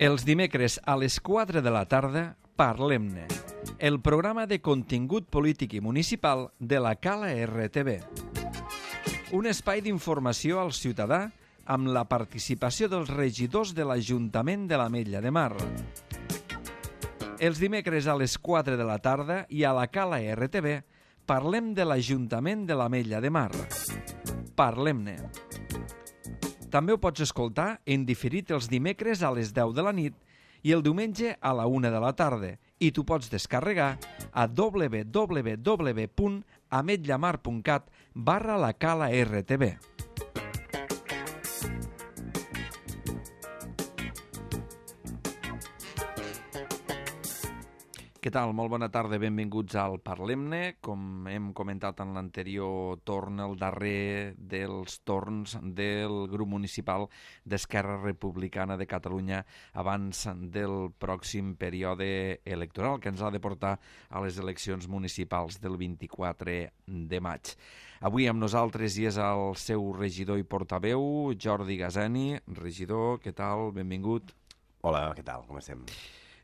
Els dimecres a les 4 de la tarda, Parlem-ne, el programa de contingut polític i municipal de la Cala RTV. Un espai d'informació al ciutadà amb la participació dels regidors de l'Ajuntament de l'Ametlla de Mar. Els dimecres a les 4 de la tarda i a la Cala RTV parlem de l'Ajuntament de l'Ametlla de Mar. Parlem-ne. També ho pots escoltar en diferit els dimecres a les 10 de la nit i el diumenge a la 1 de la tarda i t'ho pots descarregar a www.ametllamar.cat/la-cala-rtb. Què tal? Molt bona tarda, benvinguts al Parlem-ne. Com hem comentat en l'anterior torn, el darrer dels torns del grup municipal d'Esquerra Republicana de Catalunya abans del pròxim període electoral que ens ha de portar a les eleccions municipals del 24 de maig. Avui amb nosaltres hi és el seu regidor i portaveu, Jordi Gazani. Regidor, què tal? Benvingut. Hola, què tal? Com estem?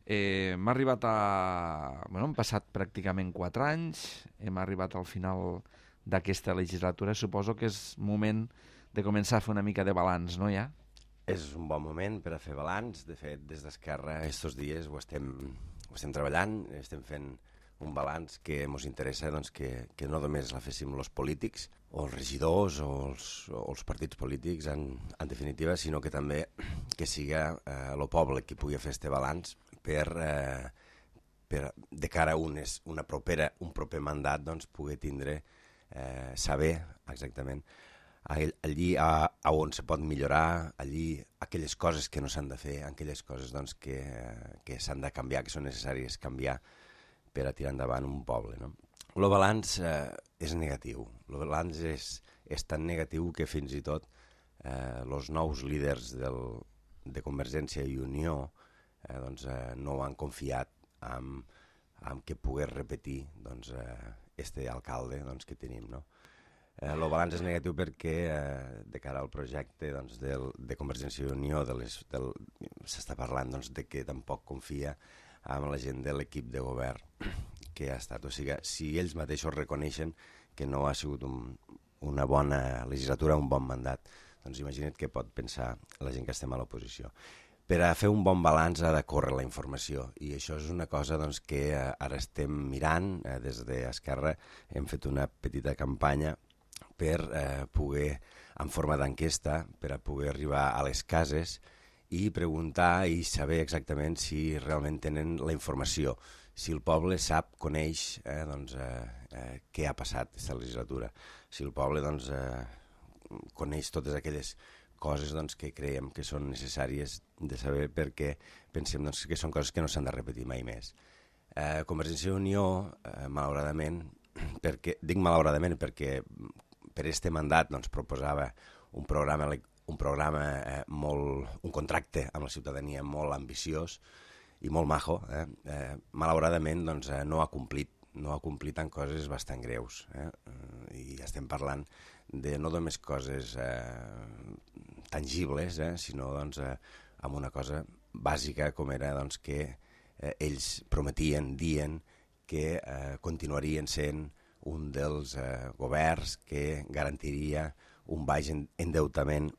M'ha arribat han passat pràcticament 4 anys, hem arribat al final d'aquesta legislatura. Suposo que és moment de començar a fer una mica de balanç, no, ja? És un bon moment per a fer balanç. De fet, des d'Esquerra, aquests dies ho estem treballant, estem fent un balanç que ens interessa que no només la féssim els polítics, o els regidors, o els partits polítics, en definitiva, sinó que també que siga el poble qui pugui fer aquest balanç per de cara a un proper mandat poder tindre, saber exactament allí on se pot millorar, allí aquelles coses que no s'han de fer, aquelles coses que s'han de canviar, que són necessàries canviar per a tirar endavant un poble, no? El balanç és negatiu. El balanç és tan negatiu que fins i tot els nous líders de Convergència i Unió no han confiat en que pogués repetir este alcalde que tenim, no? El balanç és negatiu perquè de cara al projecte de Convergència i Unió s'està parlant de que tampoc confia en la gent de l'equip de govern que ha estat. O sigui, si ells mateixos reconeixen que no ha sigut una bona legislatura, un bon mandat, doncs imagina't què pot pensar la gent que estem a l'oposició. Per a fer un bon balanç ha de córrer la informació, i això és una cosa que ara estem mirant. Des d'Esquerra hem fet una petita campanya per poder, en forma d'enquesta, per a poder arribar a les cases i preguntar i saber exactament si realment tenen la informació, si el poble sap, coneix què ha passat aquesta legislatura, si el poble coneix totes aquelles coses que creiem que són necessàries de saber, perquè pensem que són coses que no s'han de repetir mai més. Convergència i Unió, malauradament, dic malauradament perquè per este mandat proposava un contracte amb la ciutadania molt ambiciós i molt majo. Malauradament no ha complit en coses bastant greus, i estem parlant de no només coses tangibles, sinó amb una cosa bàsica com era que ells prometien, dient que continuarien sent un dels governs que garantiria un baix endeutament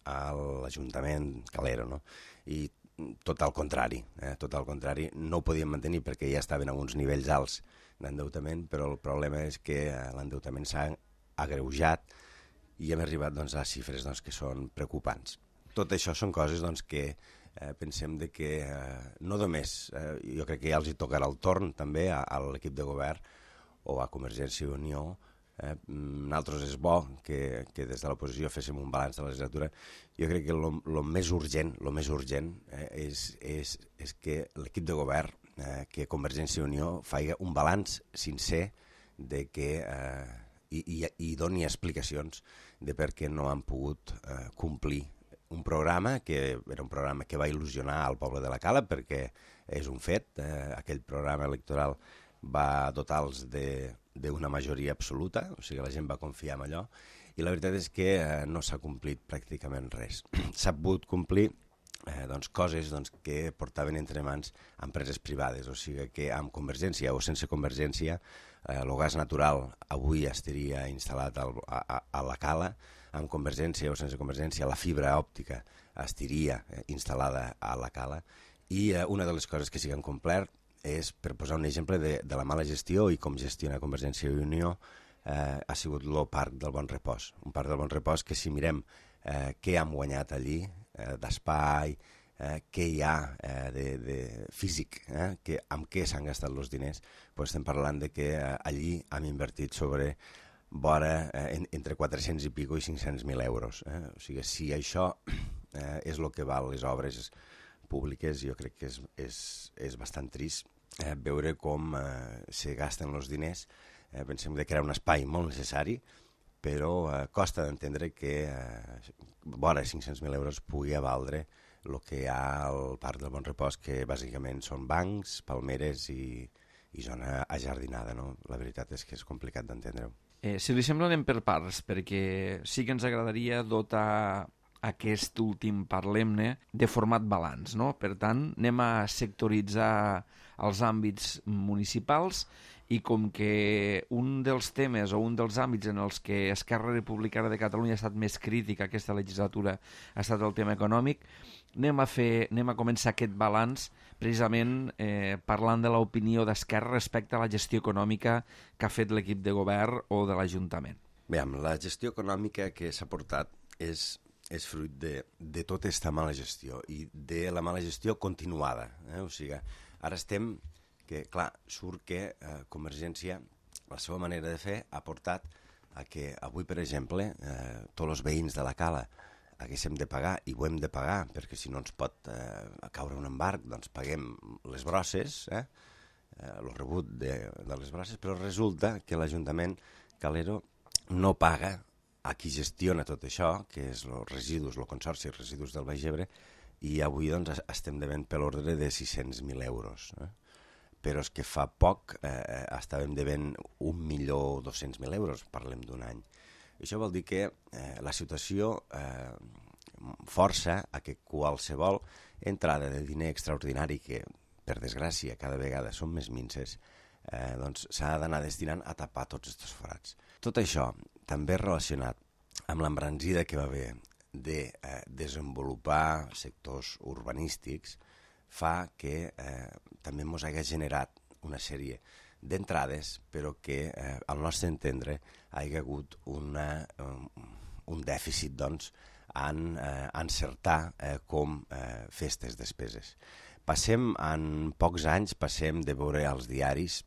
a l'Ajuntament Calero, no? I tot al contrari, no ho podien mantenir perquè ja estaven a uns nivells alts d'endeutament, però el problema és que l'endeutament s'ha agreujat i hem arribat a xifres que són preocupants. Tot això són coses que pensem que no només, jo crec que ja els hi tocarà el torn també a l'equip de govern o a Convergència i Unió. Nosaltres és bo que des de l'oposició féssim un balanç de la legislatura. Jo crec que el més urgent és que l'equip de govern, que Convergència i Unió faci un balanç sincer i doni explicacions de per què no han pogut complir un programa que era un programa que va il·lusionar al poble de la Cala, perquè és un fet. Aquell programa electoral va dotar-los d'una majoria absoluta, o sigui, la gent va confiar en allò, i la veritat és que no s'ha complit pràcticament res. S'ha pogut complir coses que portaven entre mans empreses privades, o sigui que amb Convergència o sense Convergència el gas natural avui estaria instal·lat a la cala, amb Convergència o sense Convergència la fibra òptica estaria instal·lada a la cala, i una de les coses que sí que han complert és, per posar un exemple de la mala gestió i com gestiona Convergència i Unió, ha sigut el Parc del Bon Repòs. Un Parc del Bon Repòs que si mirem què hem guanyat allí, d'espai, què hi ha de físic, amb què s'han gastat els diners, doncs estem parlant de que allí hem invertit sobre vora entre 400 i pico i 500.000 euros. O sigui, si això és el que val les obres públiques, jo crec que és bastant trist veure com se gasten els diners. Pensem que era un espai molt necessari, però costa d'entendre que vora 500.000 euros pugui valdre el que hi ha al Parc del Bon Repòs, que bàsicament són bancs, palmeres i zona ajardinada, no? La veritat és que és complicat d'entendre-ho. Si li sembla, anem per parts, perquè sí que ens agradaria dotar aquest últim Parlem-ne de format balanç, no? Per tant, anem a sectoritzar els àmbits municipals, i com que un dels temes o un dels àmbits en els que Esquerra Republicana de Catalunya ha estat més crítica aquesta legislatura ha estat el tema econòmic, anem a començar aquest balanç precisament parlant de l'opinió d'Esquerra respecte a la gestió econòmica que ha fet l'equip de govern o de l'Ajuntament. Bé, la gestió econòmica que s'ha portat és fruit de tota aquesta mala gestió i de la mala gestió continuada. O sigui, ara estem que, clar, surt que Convergència, la seva manera de fer, ha portat a que avui, per exemple, tots els veïns de la cala haguéssim de pagar, i ho hem de pagar, perquè si no ens pot caure un embarg, doncs paguem les brosses, el rebut de les brosses, però resulta que l'Ajuntament Calero no paga a qui gestiona tot això, que és els residus, el Consorci de Residus del Baix Ebre, i avui doncs, estem devent per l'ordre de 600.000 euros. Però és que fa poc estàvem devent 1.200.000 euros, parlem d'un any. Això vol dir que la situació força a que qualsevol entrada de diner extraordinari, que per desgràcia cada vegada són més minces, doncs s'ha d'anar destinant a tapar tots aquests forats. Tot això també relacionat amb l'embranzida que va haver de desenvolupar sectors urbanístics fa que també ens hagi generat una sèrie d'entrades, però que al nostre entendre hi ha hagut un dèficit doncs, en encertar com fer aquestes despeses. En pocs anys passem de veure als diaris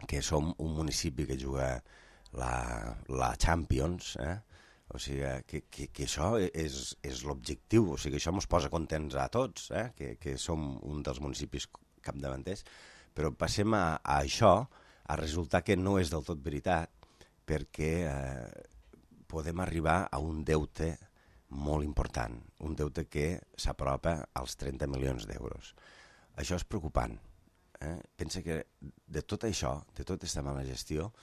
que som un municipi que juga la Champions, o sigui que això és l'objectiu, o sigui que això ens posa contents a tots, que som un dels municipis capdavanters, però passem a això, a resultar que no és del tot veritat, perquè podem arribar a un deute molt important, un deute que s'apropa als 30 milions d'euros. Això és preocupant. Pensa que de tot això, de tota aquesta mala gestió,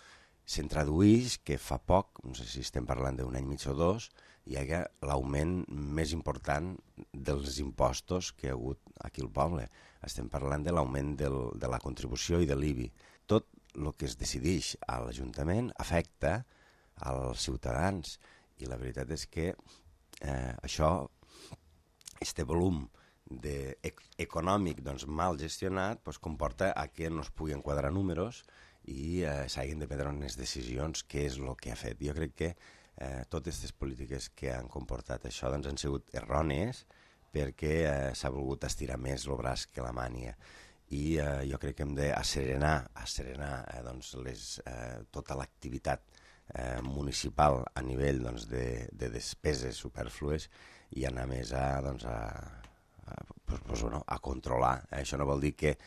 se'n tradueix que fa poc, no sé si estem parlant d'un any mig o dos, hi ha l'augment més important dels impostos que hi ha hagut aquí al poble. Estem parlant de l'augment de la contribució i de l'IBI. Tot el que es decideix a l'Ajuntament afecta als ciutadans, i la veritat és que això, este volum econòmic mal gestionat, comporta que no es pugui enquadrar números i s'hagin de prendre unes decisions, que és el que ha fet. Jo crec que totes aquestes polítiques que han comportat això han sigut errònies, perquè s'ha volgut estirar més el braç que la mània. I jo crec que hem d'asserenar tota l'activitat municipal a nivell de despeses superflues i anar més a controlar. Això no vol dir que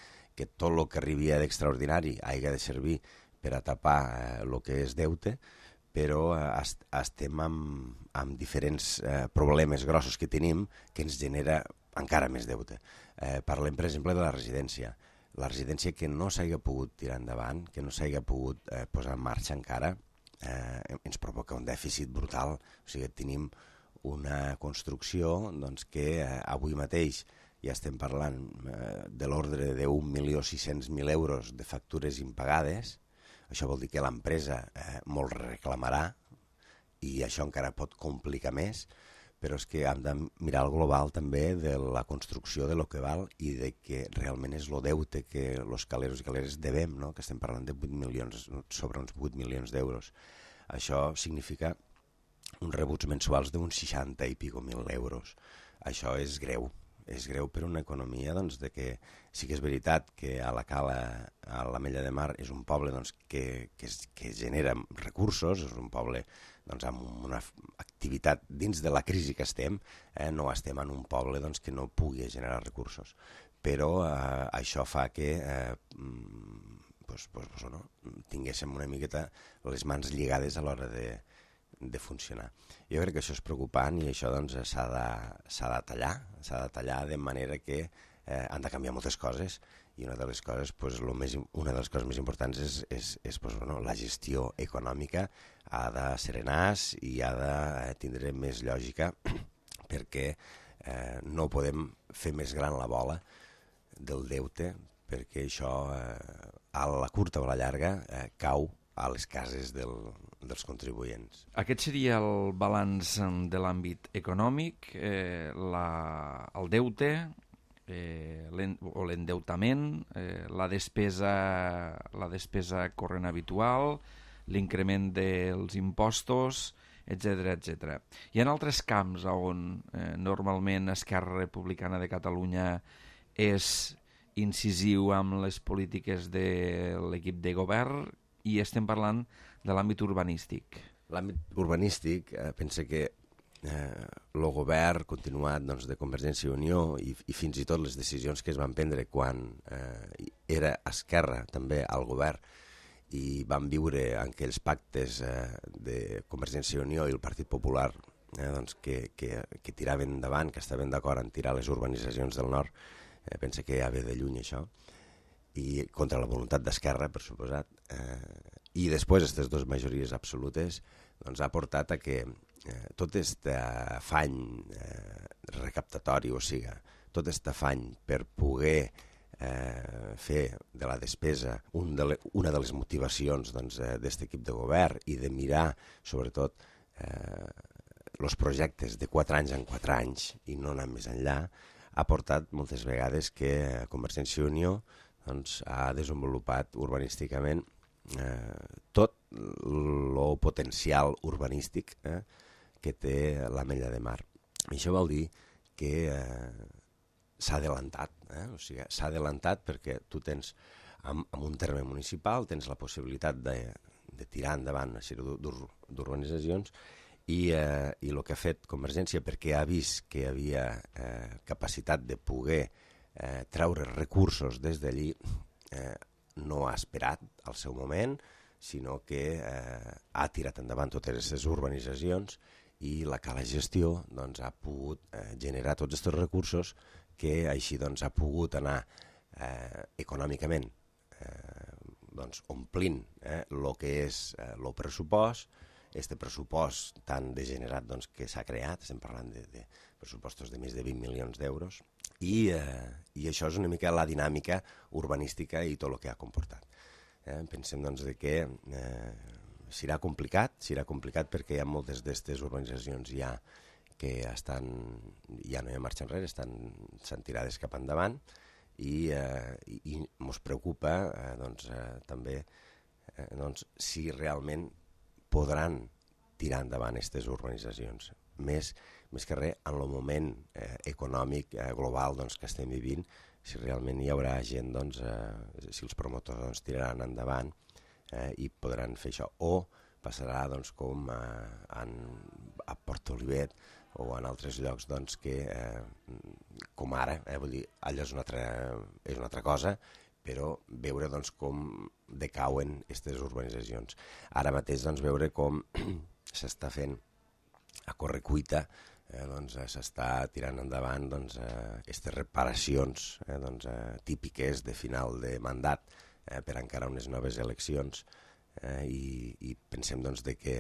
tot el que arribi d'extraordinari hagi de servir per a tapar el que és deute, però estem amb diferents problemes grossos que tenim que ens genera encara més deute. Parlem, per exemple, de la residència. La residència que no s'hagi pogut tirar endavant, que no s'hagi pogut posar en marxa encara, ens provoca un dèficit brutal. O sigui, tenim una construcció doncs, que avui mateix ja estem parlant de l'ordre de 1.600.000 euros de factures impagades. Això vol dir que l'empresa molt reclamarà i això encara pot complicar més, però és que hem de mirar el global també de la construcció de lo que val i de que realment és el deute que els caleros i caleres devem, no? Que estem parlant de 8 milions, sobre uns 8 milions d'euros. Això significa uns rebuts mensuals d'uns 60 i pico mil euros. Això és greu per una economia doncs, de que sí que és veritat que a la Cala, a l'Ametlla de Mar, és un poble doncs, que genera recursos, és un poble doncs, amb una activitat dins de la crisi que estem, no estem en un poble doncs, que no pugui generar recursos. Però això fa que tinguéssim una miqueta les mans lligades a l'hora de funcionar. Jo crec que això és preocupant i això doncs, s'ha de tallar de manera que han de canviar moltes coses i una de les coses, més importants és la gestió econòmica ha de serenar i ha de tindre més lògica perquè no podem fer més gran la bola del deute perquè això a la curta o a la llarga cau a les cases dels contribuents. Aquest seria el balanç de l'àmbit econòmic, el deute o l'endeutament, la despesa corrent habitual, l'increment dels impostos, etc. Hi ha altres camps on normalment Esquerra Republicana de Catalunya és incisiu amb les polítiques de l'equip de govern i estem parlant de l'àmbit urbanístic. L'àmbit urbanístic, pensa que el govern continuat doncs, de Convergència i Unió i fins i tot les decisions que es van prendre quan era Esquerra també al govern i van viure en aquells pactes de Convergència i Unió i el Partit Popular doncs, que tiraven endavant, que estaven d'acord en tirar les urbanitzacions del nord, pensa que ja ve de lluny això, i contra la voluntat d'Esquerra, per suposat, i després aquestes dues majories absolutes doncs, ha portat a que tot aquest afany recaptatori, o sigui, tot aquest afany per poder fer de la despesa una de les motivacions d'aquest equip de govern i de mirar, sobretot, els projectes de 4 anys en 4 anys i no anar més enllà, ha portat moltes vegades que Convergència i Unió doncs, ha desenvolupat urbanísticament tot el potencial urbanístic que té l'Ametlla de Mar. I això vol dir que s'ha adelantat, o sigui, s'ha adelantat perquè tu tens, en un terme municipal, tens la possibilitat de tirar endavant una sèrie d'urbanitzacions i el que ha fet Convergència, perquè ha vist que hi havia capacitat de poder treure recursos des d'allí, no ha esperat al seu moment, sinó que ha tirat endavant totes aquestes urbanitzacions i la Cala Gestió doncs, ha pogut generar tots aquests recursos que així doncs, ha pogut anar econòmicament doncs, omplint el que és el pressupost, este pressupost tan degenerat doncs, que s'ha creat, estem parlant de pressupostos de més de 20 milions d'euros, i això és una mica la dinàmica urbanística i tot el que ha comportat. Pensem doncs, que serà complicat perquè hi ha moltes d'aquestes urbanitzacions ja que ja no hi ha marxa enrere, estan tirades cap endavant i ens preocupa també si realment podran tirar endavant aquestes urbanitzacions. Més que res, en el moment econòmic global que estem vivint, si realment hi haurà gent, si els promotors tiraran endavant i podran fer això. O passarà com a Port Olivet o en altres llocs que, com ara, vull dir, allò és una altra cosa, però veure com decauen aquestes urbanitzacions. Ara mateix veure com s'està fent a correcuita, s'està tirant endavant aquestes reparacions típiques de final de mandat per encarar unes noves eleccions i pensem que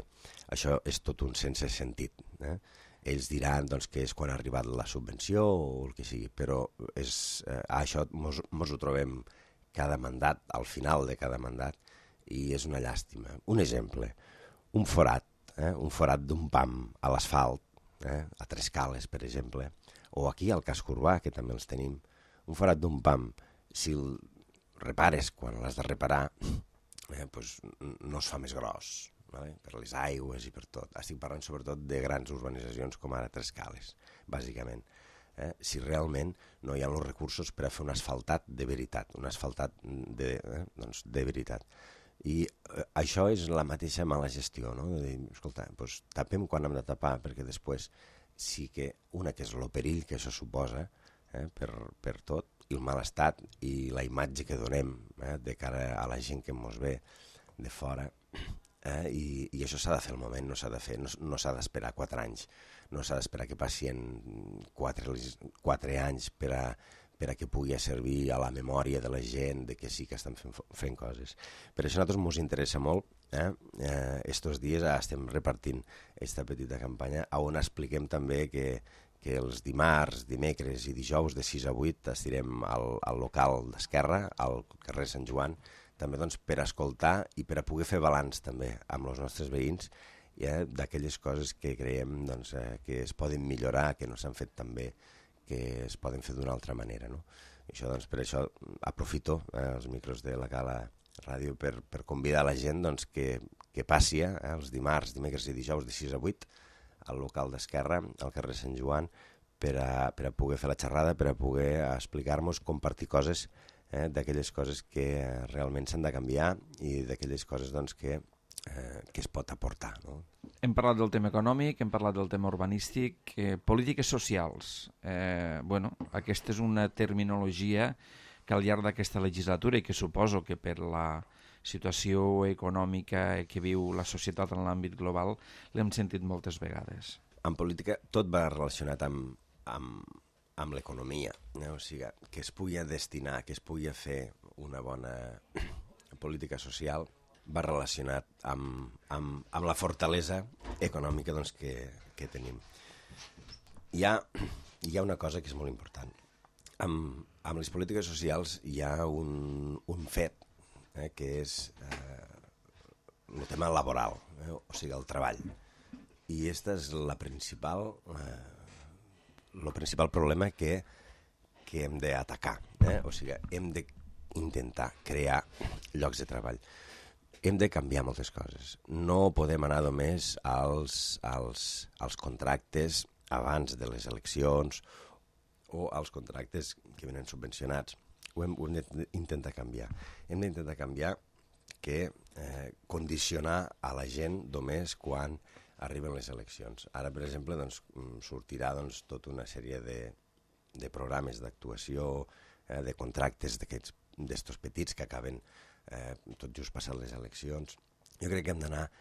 això és tot un sense sentit. ells diran doncs, que és quan ha arribat la subvenció o el que sigui, però això mos ho trobem cada mandat, al final de cada mandat, i és una llàstima. Un exemple, un forat d'un pam a l'asfalt, a Trescales, per exemple, o aquí al casc urbà, que també els tenim, un forat d'un pam, si el repares quan l'has de reparar, doncs no es fa més gros, per les aigües i per tot. Estic parlant sobretot de grans urbanitzacions com ara Trescales, bàsicament. Si realment no hi ha els recursos per a fer un asfaltat de veritat, un asfaltat de veritat. I això és la mateixa mala gestió, no? De dir, escolta, doncs tapem quan hem de tapar, perquè després sí que una que és el perill que això suposa per tot, i el mal estat i la imatge que donem de cara a la gent que ens ve de fora, i això s'ha de fer al moment, no s'ha de fer, no s'ha d'esperar 4 anys, no s'ha d'esperar que passin 4 anys per a que pugui servir a la memòria de la gent de que sí que estan fent coses. Per això a nosaltres ens interessa molt, estos dies estem repartint aquesta petita campanya on expliquem també que els dimarts, dimecres i dijous de 6 a 8 estirem al local d'Esquerra, al carrer Sant Joan, també doncs, per escoltar i per a poder fer balanç també amb els nostres veïns d'aquelles coses que creiem doncs, que es poden millorar, que no s'han fet tan bé, que es poden fer d'una altra manera. No? Això, doncs, per això aprofito els micros de la Cala Ràdio per convidar la gent doncs, que passi els dimarts, dimecres i dijous de 6 a 8 al local d'Esquerra, al carrer Sant Joan, per a poder fer la xerrada, per a poder explicar-nos, compartir coses, d'aquelles coses que realment s'han de canviar i d'aquelles coses doncs, que es pot aportar. No? Hem parlat del tema econòmic, hem parlat del tema urbanístic, polítiques socials. Aquesta és una terminologia que al llarg d'aquesta legislatura i que suposo que per la situació econòmica que viu la societat en l'àmbit global l'hem sentit moltes vegades. En política tot va relacionat amb l'economia, o sigui, que es pugui destinar, que es pugui fer una bona política social va relacionat amb la fortalesa econòmica doncs, que tenim. Hi ha una cosa que és molt important. Amb les polítiques socials hi ha un fet que és el tema laboral, o sigui, el treball. I aquest és el principal problema que hem d'atacar. O sigui, hem d'intentar crear llocs de treball. Hem de canviar moltes coses. No podem anar només als contractes abans de les eleccions o als contractes que venen subvencionats. Ho hem d'intentar canviar. Hem d'intentar canviar que condicionar a la gent només quan arriben les eleccions. Ara, per exemple, doncs, sortirà tota una sèrie de programes d'actuació, de contractes d'estos petits que acaben tot just passant les eleccions. Jo crec que hem d'anar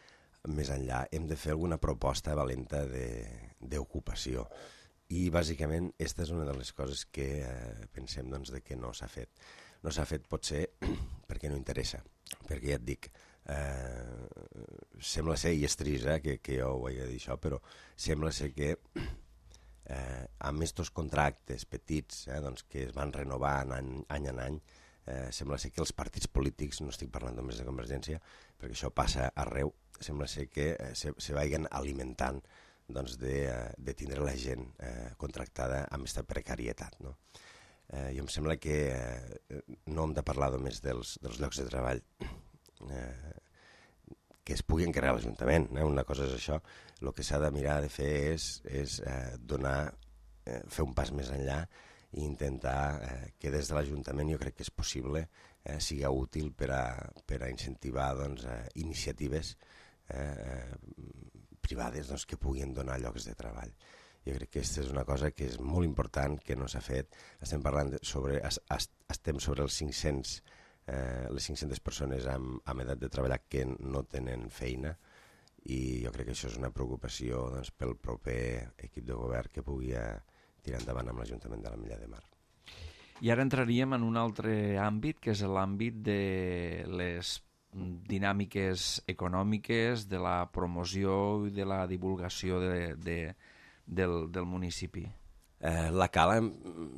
més enllà. Hem de fer alguna proposta valenta d'ocupació. I, bàsicament, aquesta és una de les coses que pensem doncs, que no s'ha fet. No s'ha fet potser perquè no interessa, perquè ja et dic, sembla ser, i és trist que jo ho hagi de dir això, però sembla ser que amb aquests contractes petits doncs, que es van renovant any en any, sembla ser que els partits polítics, no estic parlant només de Convergència, perquè això passa arreu, sembla ser que se vagin alimentant doncs, de tindre la gent contractada amb aquesta precarietat. No? Jo em sembla que no hem de parlar només dels llocs de treball que es puguin crear a l'Ajuntament. Una cosa és això. El que s'ha de mirar de fer és fer un pas més enllà i intentar que des de l'Ajuntament, jo crec que és possible, siga útil per a incentivar doncs, iniciatives privades doncs, que puguin donar llocs de treball. Jo crec que aquesta és una cosa que és molt important, que no s'ha fet. Estem sobre els 500, les 500 persones amb edat de treballar que no tenen feina, i jo crec que això és una preocupació doncs, pel proper equip de govern que pugui tirar endavant amb l'Ajuntament de l'Ametlla de Mar. I ara entraríem en un altre àmbit, que és l'àmbit de les dinàmiques econòmiques, de la promoció i de la divulgació del municipi? La cala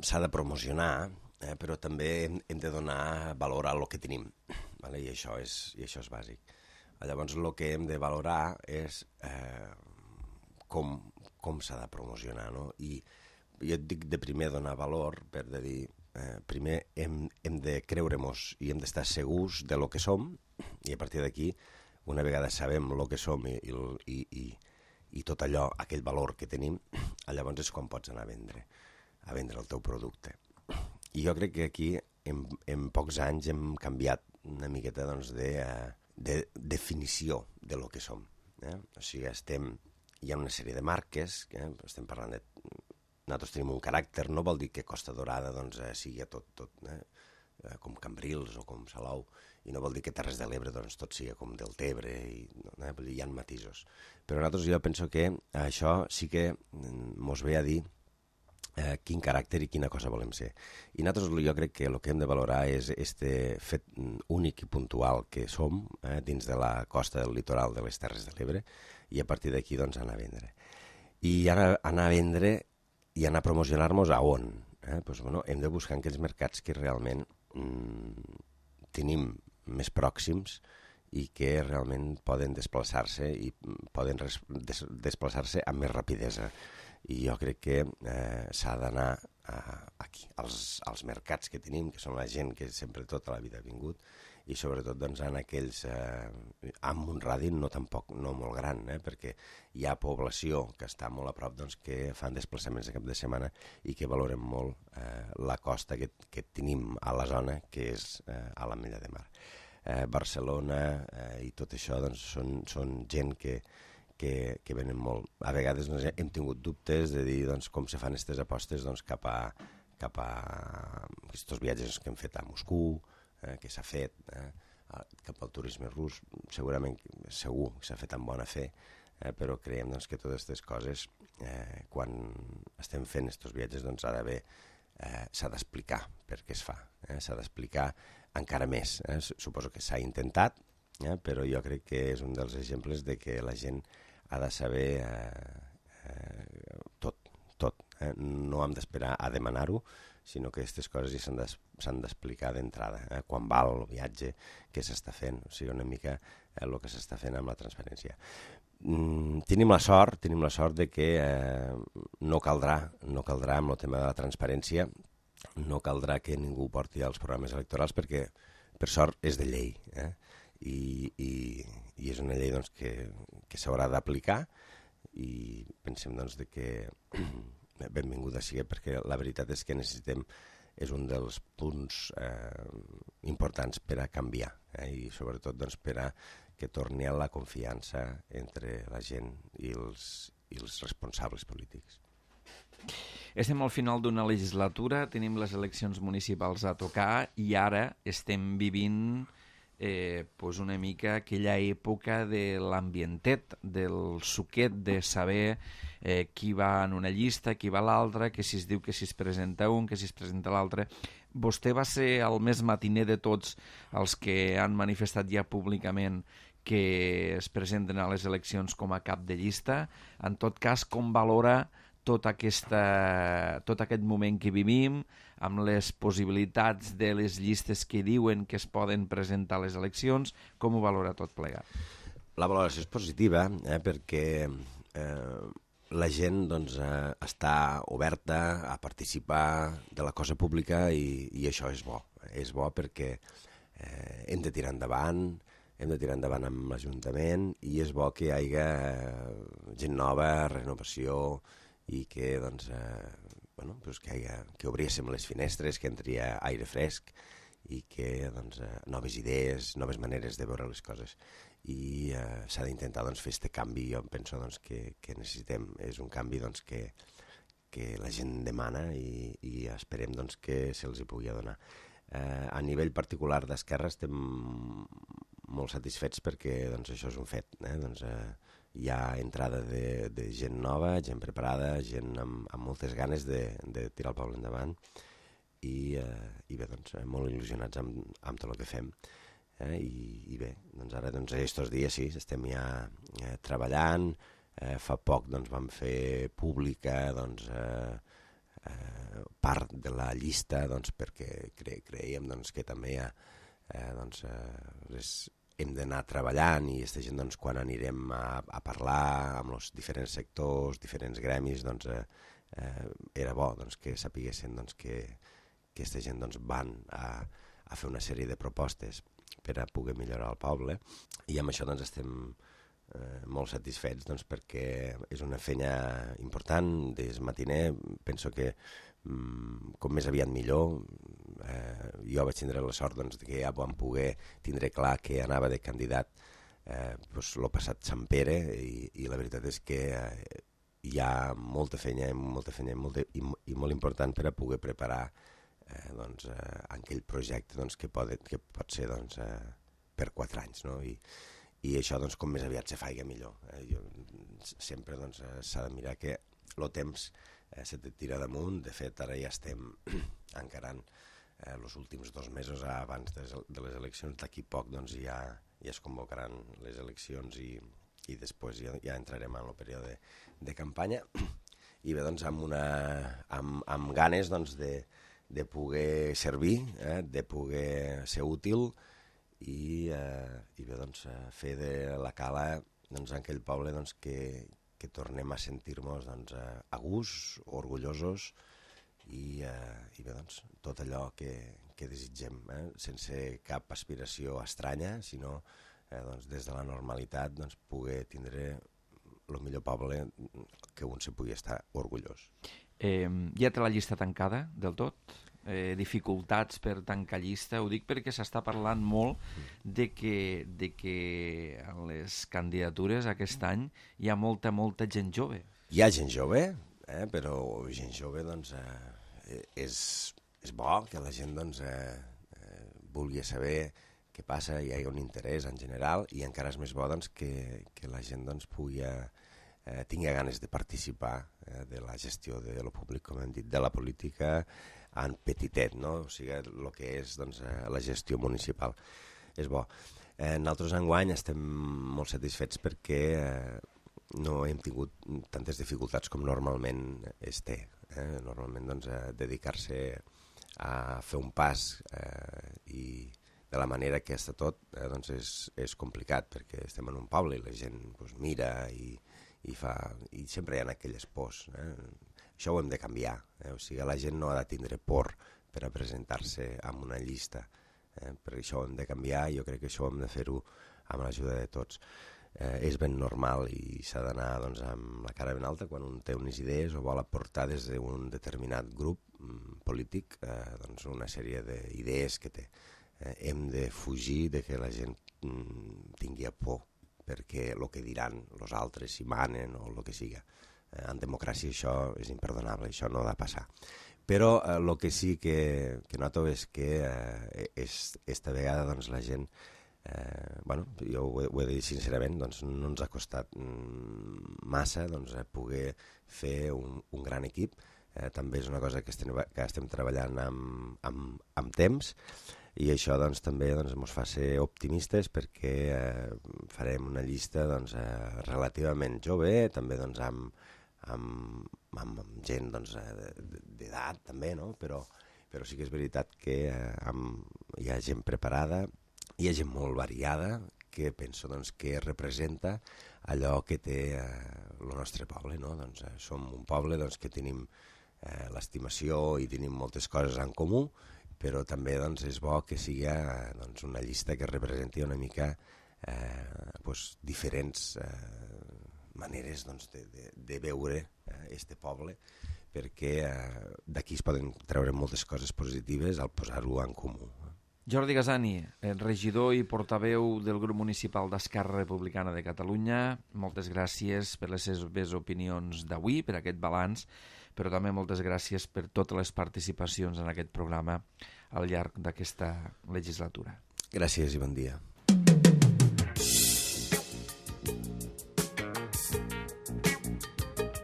s'ha de promocionar, però també hem de donar valor a lo que tenim, vale? I això és bàsic. Llavors, el que hem de valorar és com s'ha de promocionar, no? I jo et dic de primer donar valor per de dir, primer hem de creure-mos i hem d'estar segurs de lo que som, i a partir d'aquí, una vegada sabem lo que som i tot allò, aquell valor que tenim, llavors és quan pots anar a vendre el teu producte. I jo crec que aquí, en pocs anys, hem canviat una miqueta doncs, de definició de lo que som. O sigui, hi ha una sèrie de marques, estem parlant de... Nosaltres tenim un caràcter, no vol dir que Costa Dorada doncs, sigui tot com Cambrils o com Salou, i no vol dir que Terres de l'Ebre doncs, tot sigui com Deltebre, hi ha matisos. Però nosaltres jo penso que això sí que mos ve a dir quin caràcter i quina cosa volem ser. I nosaltres jo crec que el que hem de valorar és este fet únic i puntual que som dins de la costa del litoral de les Terres de l'Ebre, i a partir d'aquí doncs, anar a vendre. I anar a vendre i anar a promocionar-nos a on? Pues, bueno, hem de buscar aquells mercats que realment tenim més pròxims i que realment poden desplaçar-se i poden desplaçar-se amb més rapidesa. I jo crec que s'ha d'anar aquí, als mercats que tenim, que són la gent que sempre tota la vida ha vingut, i sobretot doncs, en aquells amb un radi no molt gran, perquè hi ha població que està molt a prop doncs, que fan desplaçaments de cap de setmana i que valorem molt la costa que tenim a la zona, que és a l'Ametlla de Mar. Barcelona i tot això doncs, són gent que venen molt. A vegades doncs, hem tingut dubtes de dir doncs, com se fan aquestes apostes doncs, cap a aquests viatges que hem fet a Moscou, que s'ha fet cap al turisme rus, segur que s'ha fet amb bona fe, però creiem doncs, que totes aquestes coses, quan estem fent aquests viatges, doncs, s'ha d'explicar per què es fa, s'ha d'explicar encara més. Suposo que s'ha intentat, però jo crec que és un dels exemples de que la gent ha de saber tot. No hem d'esperar a demanar-ho, sinó que aquestes coses ja s'han d'explicar d'entrada, quan val el viatge, què s'està fent, o sigui, una mica el que s'està fent amb la transparència. Tenim la sort de que no caldrà amb el tema de la transparència, no caldrà que ningú porti als programes electorals perquè, per sort, és de llei, i és una llei doncs, que s'haurà d'aplicar, i pensem doncs, que benvinguda sigui, perquè la veritat és que és un dels punts importants per a canviar, i sobretot doncs, per a que torni a la confiança entre la gent i els responsables polítics. Estem al final d'una legislatura, tenim les eleccions municipals a tocar i ara estem vivint una mica aquella època de l'ambientet, del suquet de saber qui va en una llista, qui va a l'altra, que si es diu que si es presenta un, que si es presenta l'altre. Vostè va ser el més matiner de tots els que han manifestat ja públicament que es presenten a les eleccions com a cap de llista. En tot cas, com valora tot aquest moment que vivim, amb les possibilitats de les llistes que diuen que es poden presentar a les eleccions, com ho valora tot plegat? La valoració és positiva, perquè la gent doncs, està oberta a participar de la cosa pública i això és bo. És bo perquè hem de tirar endavant amb l'Ajuntament, i és bo que hi hagi gent nova, renovació, i que, doncs, que obríssim les finestres, que entri aire fresc i que doncs, noves idees, noves maneres de veure les coses. I s'ha d'intentar doncs, fer aquest canvi, jo penso doncs, que necessitem. És un canvi doncs, que la gent demana i esperem doncs, que se'ls hi pugui donar. A nivell particular d'Esquerra estem molt satisfets perquè doncs, això és un fet. Doncs, hi ha entrada de gent nova, gent preparada, gent amb moltes ganes de tirar el poble endavant, i bé, doncs, molt il·lusionats amb tot el que fem. I bé, doncs ara aquests dies sí, estem ja treballant, Fa poc doncs, vam fer pública doncs, part de la llista doncs, perquè creiem doncs, que també hem d'anar treballant i aquesta gent, doncs, quan anirem a parlar amb els diferents sectors, diferents gremis, doncs, era bo doncs, que sapiguessin doncs, que aquesta gent doncs, van a fer una sèrie de propostes per a poder millorar el poble, i amb això doncs, estem molt satisfets doncs, perquè és una feina important. Des matiner penso que com més aviat millor. Jo vaig tindre la sort doncs, que ja vam poder tindre clar que anava de candidat l'any passat Sant Pere, i la veritat és que hi ha molta feina i molt important per a poder preparar aquell projecte doncs, que pot ser doncs, per 4 anys, no? I això doncs, com més aviat se faiga millor. Sempre doncs, s'ha de mirar que el temps se te tira damunt. De fet, ara ja estem encarant els últims 2 mesos abans de les eleccions. D'aquí poc doncs, ja es convocaran les eleccions i després ja entrarem en el període de campanya. I bé, doncs, amb ganes doncs, de poder servir, de poder ser útil i bé, doncs, fer de la Cala doncs, aquell poble doncs, que tornem a sentir-nos doncs, a gust, orgullosos i bé, doncs, tot allò que desitgem, sense cap aspiració estranya, sinó doncs, des de la normalitat doncs, poder tindre el millor poble que un se pugui estar orgullós. Ja té la llista tancada del tot? Dificultats per tancar llista? Ho dic perquè s'està parlant molt de que en les candidatures aquest any hi ha molta gent jove. Hi ha gent jove, però gent jove doncs, és bo que la gent doncs, vulgui saber què passa, hi ha un interès en general, i encara és més bo doncs, que la gent doncs, tingui ganes de participar de la gestió de lo públic, com hem dit, de la política en petitet, no? O sigui, el que és doncs, la gestió municipal. És bo. Nosaltres enguany estem molt satisfets perquè no hem tingut tantes dificultats com normalment es té. Normalment doncs, dedicar-se a fer un pas i de la manera que està tot doncs és complicat, perquè estem en un poble i la gent doncs, mira i sempre hi ha aquelles pors. Això ho hem de canviar. O sigui, la gent no ha de tindre por per a presentar-se en una llista. Per això ho hem de canviar, i jo crec que això ho hem de fer-ho amb l'ajuda de tots. És ben normal i s'ha d'anar doncs, amb la cara ben alta quan un té unes idees o vol aportar des d'un determinat grup polític doncs, una sèrie d'idees que té. Hem de fugir de que la gent tingui por perquè el que diran els altres, si manen o el que siga. En democràcia això és imperdonable, això no ha de passar. Però el que sí que noto és que esta vegada doncs, la gent, jo ho he de dir sincerament, doncs, no ens ha costat massa doncs, poder fer un gran equip. També és una cosa que estem treballant amb temps, i això doncs, també ens fa ser optimistes, perquè farem una llista doncs, relativament jove, també doncs, amb gent doncs, d'edat també, no? Però sí que és veritat que hi ha gent preparada, hi ha gent molt variada, que penso doncs, que representa allò que té el nostre poble. No? Doncs, som un poble doncs, que tenim l'estimació i tenim moltes coses en comú, però també doncs, és bo que sigui doncs, una llista que representi una mica diferents maneres doncs, de veure este poble, perquè d'aquí es poden treure moltes coses positives al posar-ho en comú. Jordi Gasani, regidor i portaveu del grup municipal d'Esquerra Republicana de Catalunya, moltes gràcies per les seves opinions d'avui, per aquest balanç, però també moltes gràcies per totes les participacions en aquest programa al llarg d'aquesta legislatura. Gràcies i bon dia.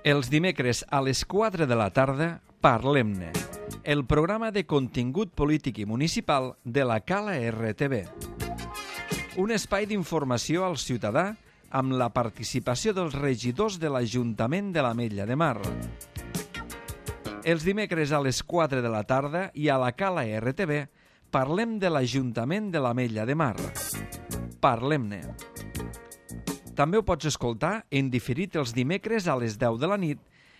Els dimecres a les 4 de la tarda, Parlem-ne, el programa de contingut polític i municipal de la Cala RTV. Un espai d'informació al ciutadà amb la participació dels regidors de l'Ajuntament de l'Ametlla de Mar. Els dimecres a les 4 de la tarda i a la Cala RTV parlem de l'Ajuntament de l'Ametlla de Mar. Parlem-ne. També ho pots escoltar en diferit els dimecres a les 10 de la nit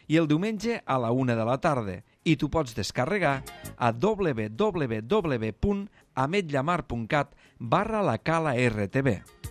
i el diumenge a la 1 de la tarda i t'ho pots descarregar a www.ametllamar.cat/la Cala RTV.